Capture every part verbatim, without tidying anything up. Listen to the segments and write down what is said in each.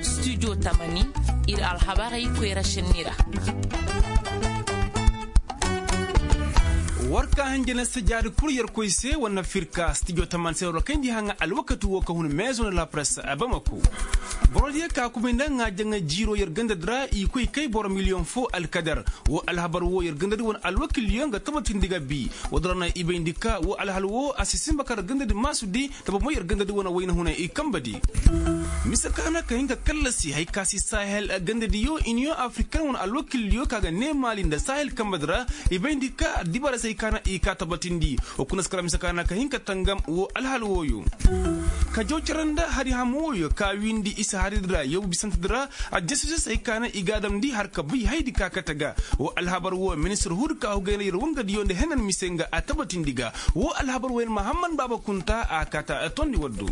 Studio tamani, ir alhabarey koyra šenni ra. War ka hanjana sajaadi kul yerkoy se wane firka studio tamani se war kayndi haŋa alwakati wo ka hun meezo na la presse a bamako. Borodiyo ka kubay nda ŋaajaŋay jiiro yer gandadi ra i koy kay boro miliyoŋ fo alkadar. Wo alhabar wo yer gandadi wane alwakilyo nga tabatindi ga bi. Wo dora na i bayndi ka wo alhal wo a si simba kar gandadi maasudi. Taba mo yer gandadi wane wayna hunay i kambadi. Mise ka na ka hin ka kallasi hay ka si sahel gandadiyo iniyoŋ afrikan wane alwakilyo ka ga ne maali nda sahel kambadi ra. I bayndi ka addibaarey se hay ka na i ka tabatindi. Wo kuna si kala mise ka na ka hin ka tangam wo alhal wooyo. Ka jaw cara nda hari hamo wooyo ka wiindi isa haridi ra yaw bisantedi ra. Adjasuse se hay ka na i ga a damndi har ka bay haydi ka kate ga. Wo alhabar wo ministir huudi ka hugay nda yer wangadiyo nda henan mise nga a tabatindi ga. Wo alhabar wo yer mahamman baaba kunta a kaata tondi waddo.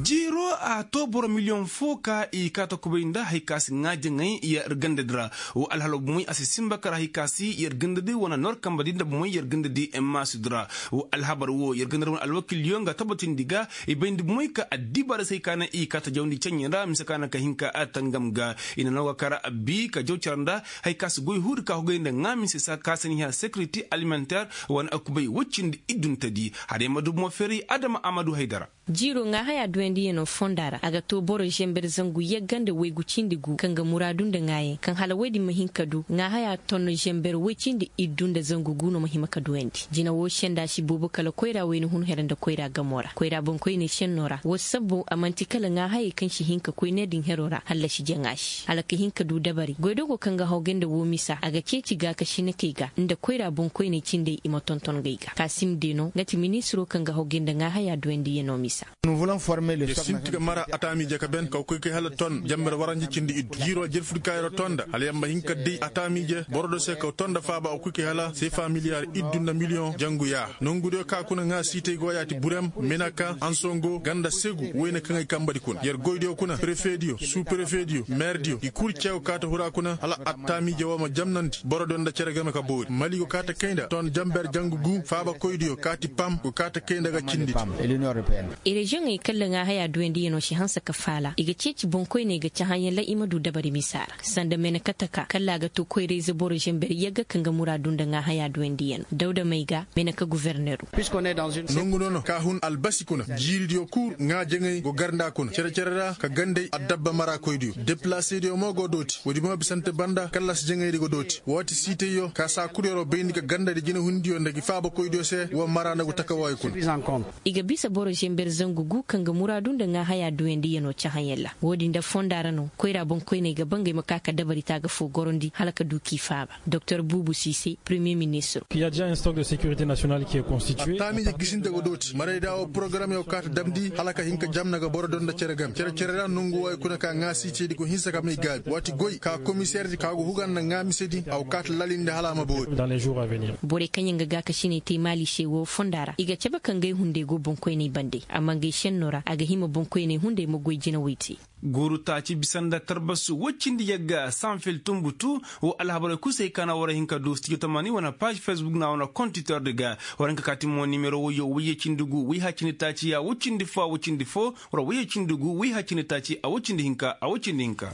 Jiiro a to boro miliyoŋ fo ka i kaata kubay nda hay ka si ŋaajaŋay yer gandadi ra. Wo alhala bomoy a si simba kar hay ka si yer gandadi wane nor kambadi nda bomoy yer gandadi maasudi ra. Wo alhabar wo yer gandadi wane alwakilyo nga tabatindi ga. I bayndi bomoy ka addibaarey se hay ka na i kaata jawndi ceɲɲe ra mise ka na ka hin ka a tangam ga. I na no ga kar abbi ka jaw cara nda hay ka si goy huudi ka hugay nda ŋaa mise sa ka saniya securité alimentaire. Wane a kubay woy cindi idduntedi. Hada yamma dubu mo feeray adama amadu haydara. Jiiro ŋaahayaa duyandiyanoo fondaa ra a ga too boro zember zangu yagga nda waygu cindi gu kaŋ ga muraadu nda ŋaayaŋ kaŋ hala woy din ma hin ka du ŋaahayaa tonno zember woy cindi iddu nda zangu gu no ma hima ka duyandi jina woo sendaa si boobo kala koyraa wayna hun her nda koyraa gamoo ra koyraa boŋkoyney sennoo ra woo sabbo a man'ti kala ŋaahayey kaŋ si hin ka koy ne din heroo ra hallasi jaŋaa se hala ka hin ka du dabari goydogo kaŋ ga hawgay nda woo misa a ga ceeci gaakasinakey ga nda koyraa boŋkoyney cindey i ma tonton ngey ga kaasim deenoo nga ti ministiroo kaŋ ga hawgay nda ŋaahayaa duyandiyanoo misa. Yer sinti ga mara ataamiije ka ben ka koy kay hala ton jamber waranja cindi iddu jiiroo jerfudi ka yer tonda hala yer ma hin ka day ataamiije boro do se ka tonda faaba a koy kay hala seefa miliyaar iddu nda miliyoŋ jangu yaa nongudiyo ka kuna ŋaa siitey go yaati burem menaka ansongo ganda segu woyne kaŋ ay kambadi kuna yer goydiyo kuna prefediyo suprefediyo meerdiyo i kul ceew kaata hura kuna hala attaamiije woo ma jamnandi boro do nda cere game ka boori mali go kaata kay nda ton jamber jangu gu faabakoydiyo kaati pam go kaata kay nda ga cindi. Reziyoŋey kalla ŋaahayaa duyandiyanoo si hanse ka faala i ga ceeci boŋkoyney ga cahãyaŋ ra i ma du dabari misa ra sanda meneka taka kalla a ga too koyra-ize boro zember yagga kaŋ ga muraadu nda ŋaahayaa duyandiyanoo dawda may ga meneka guverneru. Nongu nono ka hun albasi kuna jiiridiyo kul ŋaajaŋey go gar nda kuna cere-cere ra ka gandey addabba maraakoydiyo deplasediyo mo go dooti woodi mo bisante banda kallasi jaŋaydi go dooti waati siitayyo ka saa kul yeroo bayndi ka gandadi jinehundiyo nda gi faabakoydiyo se woo mara nda go takawaayo kuna. I ga bisa boro zember zangu gu kaŋ ga muraadu nda ŋaahayaa duyandiyanoo cahãyaŋ ra woodi nda fondaa ra no koyraa boŋkoyney ga ba ngey ma ka ka dabari taaga foo gorondi hala ka du k'i faaba. Doktor buubu siise premiyer ministir. Attaamiije gisinte go dooti marayda woo porogaram yoo kaata damndi hala ka hin ka jamna ga boro do nda cere game cere-cere ra nongu wooyo kuna ka ŋaasiitedi go hinsa ka may gaabi waati goy ka komiseerdi ka go huga nda ŋaamisedi a go kaata lalindi hala a ma boori. Borey kaŋyaŋ ga gaakasiney te maali se woo fonda ra i ga cabe ka ngey hunday go boŋkoyney bande amma ngey senno ra a ga hima boŋkoyney hunday ma goy jinawey te. Guuru taaci bisa nda tarbasu woy cindi yagga sanfil tunbutu. Woo alhabarey kul se ay kaana war hin ka du studio tamani wane paaž fesbuk na wane kontitordi ga. War hin ka kaati mo nimero woyyo woyye cindi gu woy hay cindi taaci a woy cindi fo a woy cindi fo. War woyye cindi gu woy hay cindi taaci a woy cindi hinka a woy cindi hinka.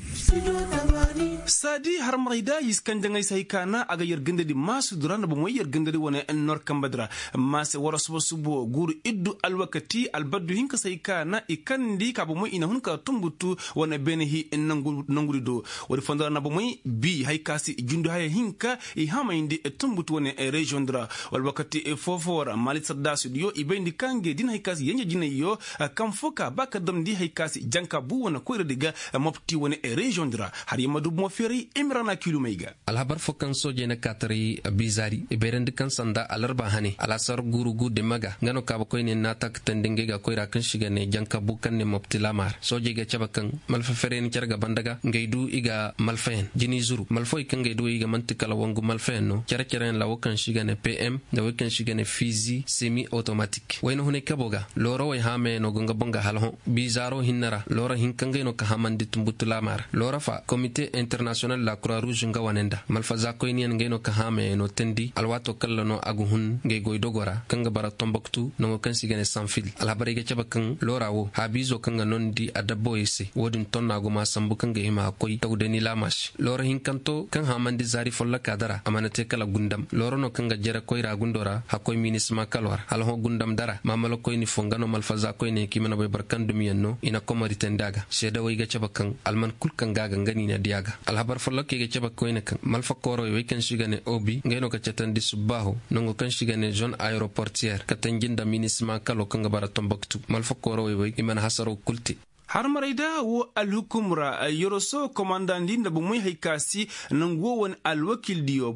Saadi harmarey da i si kanjaŋey se hay kaana a ga yer gandadi maasudi ra nda bomey yer gandadi wane nor kambadi ra. Maase war suba subo guuru iddu alwakati albaddu hinka se hay kaana i kandi ka bomey i na hun ka tunbutu wane beene hi nangudi do. Woodi fondo ra na bomey bi hay ka se jundu haya hinka i hamayndi tunbutu wane reziyoŋ di ra. Wala wakati foofoo ra maali sardaasudiyo i bayndi ka ngey din hay ka se yenje jinayyo. Kaŋ foo ka ba ka damndi hay ka se janka bu wane koyradi ga mopti wane reziyoŋ di ra. Har yamma dubu mo feeray imrana kilumey ga. Alhabar foo kaŋ soojey na kaataray biizaari i bayrandi kaŋ sanda alarba hane alaasar guuru gu dima ga nga no kaabakoyney naata ka teendi ngey ga koyra kaŋ se i ga ne janka bu kaŋ ne mopti laamaar soojey ga cabe kaŋ malfa ferey na care ga banda ga ngey du i ga malfayaŋ jini zuru malfawey kaŋ ngey du i ga man'ti kala wangu malfayaŋ no care-careyaŋ ra wo kaŋ se i ga ne pm nda wo kaŋ se i ga ne fiizi semi otomatik wayna hunay kabo ga loorawey haamayaŋ no go nga boŋ ga hala hõ biizaaro hinne ra loora hinka ngey no ka hamandi tunbutu laamaar loora fa komite international. International la kura ruuz nga wane nda malfaza koyniyaŋ ngey no ka haamayaŋ no teendi alwaato kaŋ ra no a ga hun ngey goy dogo ra kaŋ ga bara tomboktu nango kaŋ se i ga ne sanfil. Alhabarey ga cabe kaŋ loora wo haabiizo kaŋ ga noondi adabbawey se wo-din tonna gumaa sambu kaŋ ga hima a koy tawdani laama se. Loora hinkanto kaŋ haamandi zaari follokaa dara a mana te kala gundam loora no kaŋ ga jere koyra gundo ra hakkoy minisima kaloo ra hala hõ gundam dara maamala koyni fo nga no malfaza koyne kaŋ i mana bay boro kaŋ dumiyaŋ no i na komori teendi a ga seedawey ga cabe kaŋ alman kul kaŋ ga a ga nga no i na di a ga. Alhabar follokey ga cabe koyne kaŋ malfa koorowey wey kaŋ se i ga ne obi ngey no ka catandi subbaaho nango kaŋ se i ga ne zone aeroportiyeer ka tanji nda minisima kaloo kaŋ ga bara tomboktu malfa koorowey wey i mana hasaraw kul te. Harmaray da wo alhukum ra yoroso komandandi nda bomoy hay ka si nangu wo wane alwakildiyo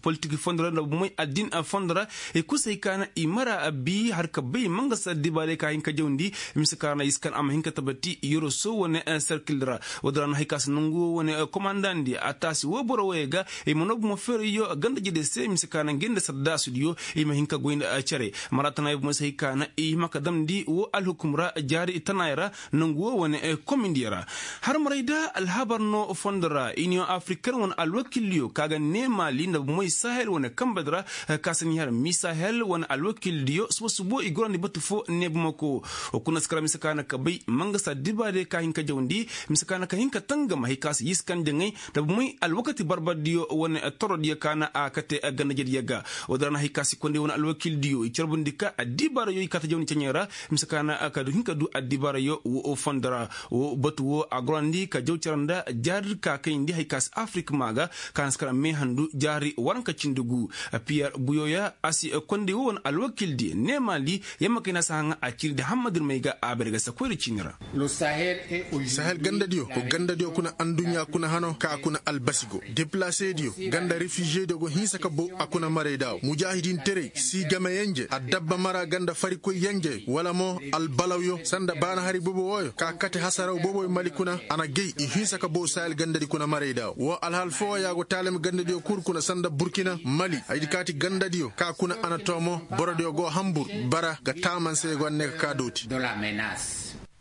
politik fondo ra nda bomoy addin fondo ra i kul se hay ka na i mara bi har ka bay mangasa dibaaray ka hin ka jawndi mise ka ra na i si kan a ma hin ka tabati yoroso wane serkil ra. Wo-din ra na hay ka si nangu wo wane komandandi a taasi wo boro wooyey ga i ma noo bomo feerayyo ganda jede se mise ka na ngey nda sardaasudiyo i ma hin ka goy nda cere. Mara tana i bomoy se hay ka na i hima ka damndi wo alhukum ra jaari tanaaya ra nangu wo wane komindiyo ra. Harmaray da alhabar no fondo ra iniyoŋ afriken wane alwakildiyo ka ga neemaali nda bomoy sahel wane kambedi ra ka si ni har misahel wane alwakildiyo subo subo i gorandi batu fo neebamako. Wa kuna si kara mise ka na ka bay mangasa dibaaray ka hin ka jawndi mise ka na ka hin ka tangam hay ka si yiskan jaŋay nda bomoy alwakati barbardiyo wane torodiyo ka na a kate ganda jediyo ga. Wo-din ra na hay ka si konday wane alwakildiyo i carbundi ka addibaarayo i kaata jawndi ceɲey ra mise ka na ka hin ka du addibaarayo wo fondo ra. Wo batu wo a gorandi ka jaw cara nda jaari ka kayndi hay ka si afirik maa ga ka na si kara meehandu jaari waranka cindi gu. Piyer buyoya a si konday wo wane alwakildi neemaali yamma kay na si haŋa a ciirdi hammadirmey ga a bare ga si koyra ciini ra. Sahel gandadiyo kuna adduɲɲa kuna hano ka a kuna albasi go depilasediyo ganda refizediyo go hinsa ka bow a kuna marayda wo mujaahidinterey si game yenje adabba mara ganda farikoy yenje wala mo albalawyo sanda baana hari bobo wooyo ka kate hasaraw boboy mali kuna a na gay i hinsa ka bow sahel gandadi kuna marayda wo wo alhal foo ya go taalem gandadiyo kul kuna sanda burkina mali haydi kaati gandadiyo ka kuna a na too mo borodiyo go hambur bara ga taamanse go a ne ka kaa dooti.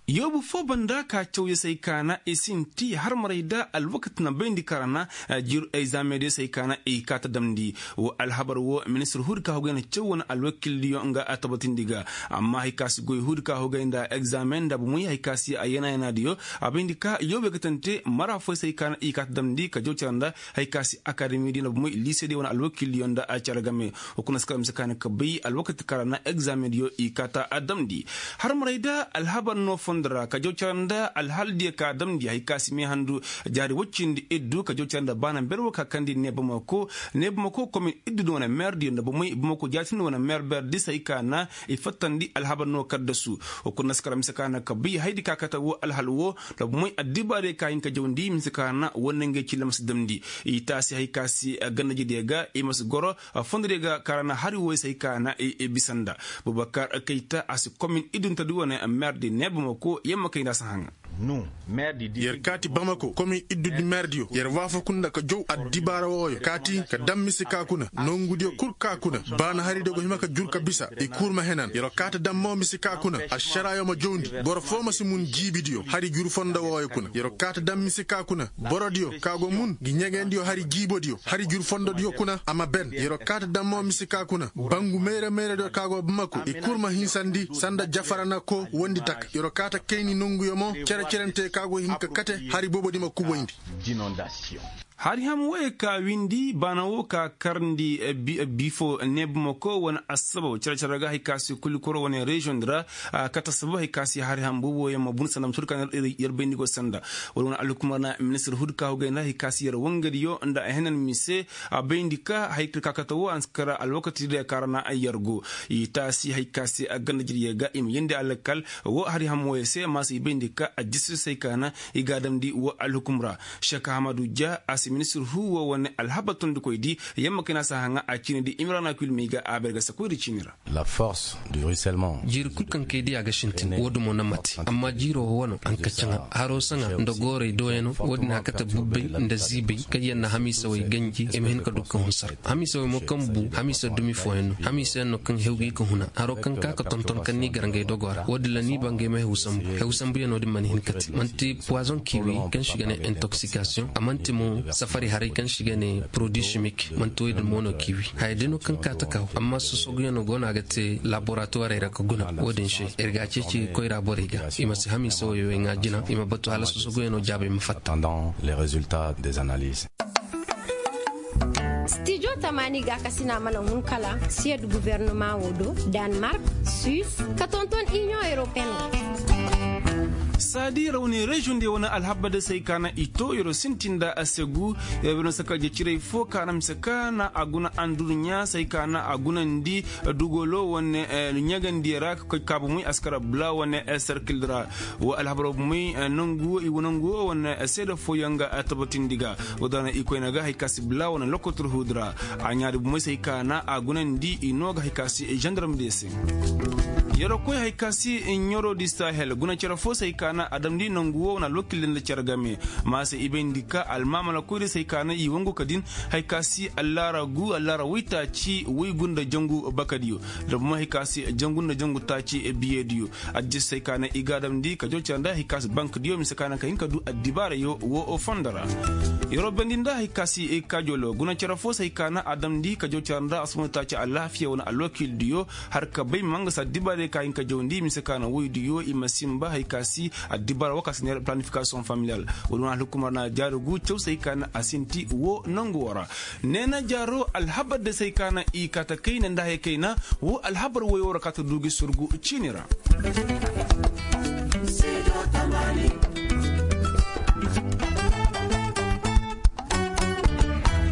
Yoobu foo banda ka cawya se ay ka na i sinti harmaray da alwakati na bayndi ka ra na jir egzaamediyo se ay ka na i kaa ta damndi. Wo alhabar wo ministir huudi ka hogay na caw wane alwakildiyo nga a tabatindi ga. Amma hay ka si goy huudi ka hogay nda egzaamen nda bomoy hay ka si a yana-yanaadiyo a bayndi ka yoobu ay ga tante mara fooy se ay ka na i kaa ta damndi ka jaw cara nda hay ka si akademidiyo nda bomoy liisediyo wane alwakildiyo nda a cara game. Hunkuna si kala mise ka na ka bay alwakati ka ra na egzaamediyo i kaa ta a damndi. Harmaray da alhabar no fondo ra ka jaw cara nda alhaldiyo ka damndi hay ka si meehandu jaari woy cindi iddu ka jaw cara nda baana ber wo ka kandi ne bamako ne bamako komin iddu nda wane meerdiyo nda bomey bamako jaatindi wane meer berdi se hay ka na i fattandi alhabar no kaddasu. Hunkuna si kala mise ka na ka bay haydi ka kate wo alhal wo nda bomey addibaadiyo ka hin ka jawndi mise ka na wo nangey cilla ma si damndi. I taasi hay ka si gandajediyo ga i ma si goro fondodiyo ga ka ra na hari wooyo se hay ka na i bisa nda bubakar kayta a si komin iddunta di wane meerdi ne bamako yamma kay nda a si haŋa. Yer kaati bamako komin iddudi meerdiyo yer waafaku nda ka jow addibaara wooyo kaati ka dam mise ka kuna nongudiyo kul ka kuna baana haridiyo go hima ka jur ka bisa i kul ma henan yer kaata dam mo mise ka kuna ašaraayo ma jowndi boro foo ma si mun jiibidiyo hari jur fondo wooyo kuna yer kaata dam mise ka kuna borodiyo ka go mun ngi ɲegendiyo hari jiibodiyo hari jur fondodiyo kuna a ma ben yer kaata dam mo mise ka kuna bangu mayra-mayradiyo ka go bamako i kul ma hinsandi sanda jafara na koo wondi taka yer kaata kayni nonguyo mo cere-cerente ka go hin ka kate hari boobodi ma kuboyndi. Hari ham wooyo ka windi baana woo ka karndi bifo ne bamako wane assabab cere-cere ga hay ka si kulikoro wane reziyoŋ di ra kate assabab hay ka si hari ham boobooyaŋ ma bun sanda ma tur ka yer bayndi go sanda wala wane alhukumar na ministir huudi ka hogay nda hay ka si yer wangadiyo nda a henan mise a bayndi ka hay ka kate woo a na si kara alwakati diyo ka ra na yer go i taasi hay ka si gandajediyo ga i ma yeendi alkal woo hari ham wooyo se ma si i bayndi ka a jisir se hay ka na i ga a damndi woo alhukum ra. Šek ahamadu ja a Ministir huuwo wane alhabar tondikoydi yamma kayna si a haŋa a ciinidi imrana kulmi ga a bay ga sakoydi ciini ra. Jiiri kul kaŋ kay diya ga sintin wo- din mo na mate amma jiiro wo wano a na ka caŋa haro saŋa nda goorey dooyano wo- din a kate bubbey nda ziibey kaŋ yaŋ na hamiisawey ganji i ma hin ka du ka hunsar. Hamiisawey mo kaŋ bu hamiisa dumi fooyaŋ no hamiisa yaŋ no kaŋ hew ga i ka huna haro kaŋ ka ka tonton kaŋ ni gar ngey dogo ra wo- din ra ni ba ngey ma hew sambu hew sambuyaŋo din mana hin ka te manti puwazoŋ kiiwi kaŋ se i ga ne intoxikasiyoŋ a manti mo safari haray kaŋ se i ga ne porodi simik manti wey din mo no kiiwi haya day no kaŋ ka ta kaw amma sosoguyaŋo go no a ga te laboratuwarey ra ka guna wo- din se ir ga a ceeci koyra borey ga i ma si hamiisa wey wey ŋaa jina i ma batu hala sosoguyaŋo jaabey ma fatta. Stijo tamaani gaakasina mana hun kala siyad guwernama wo do, danmark, suis, ka tonton iniyoŋ europeyen. Saadi rawni reziyoŋ diyo wane alhabar day se hay ka na i to yer sintin nda a se gu yer bay no saka jecirey fo ka na mise ka na a guna andurɲa se hay ka na a gunandi dugolo wane ɲagandiyo ra ka koy kaabumey askara bula wane serkil ra. Wo alhabar bumey nangu wo wane seeda fooyaŋ ga tabatindi ga wo daana i koyne ga hay ka si bila wane lokotor huudi ra. A ɲaadi bumey se hay ka na a gunandi i no ga hay ka si zandarmdiyo se. Yeroo koy hay ka si ɲaroo di sahel guna cere foo se hay ka na a damndi nangu wo wane alwakildi nda cere game. Ma se i bayndi ka almaamala koydiyo se hay ka na i wangu ka din hay ka si allaara gu allaara woytaaci woygu nda jangu bakadiyo. Nda bumey hay ka si jangu nda jangu taaci biyediyo. Addiya se hay ka na i ga a damndi ka jaw cere nda hay ka si bankdiyo mise ka na ka hin ka du addibaarayo wo fondo ra. Yeroo bayndi nda hay ka si kajolo guna cere foo se hay ka na a damndi ka jaw cere nda asumantaaci alaafiya wane alwakiildiyo har ka bay ma nga si addibaarey ka hin ka jawndi mise ka na woydiyo i ma sinba hay ka si addibaara wo ka si neera planifikasiyoŋ familiyal. Wo- din wane alhukumar na jaari gu caw se hay ka na a sinti wo nangu wo ra. Neena jaaro alhabar de se hay ka na i kaata kayna nda haya kayna. Wo alhabar woyoo ra kaata du gi surgu ciini ra.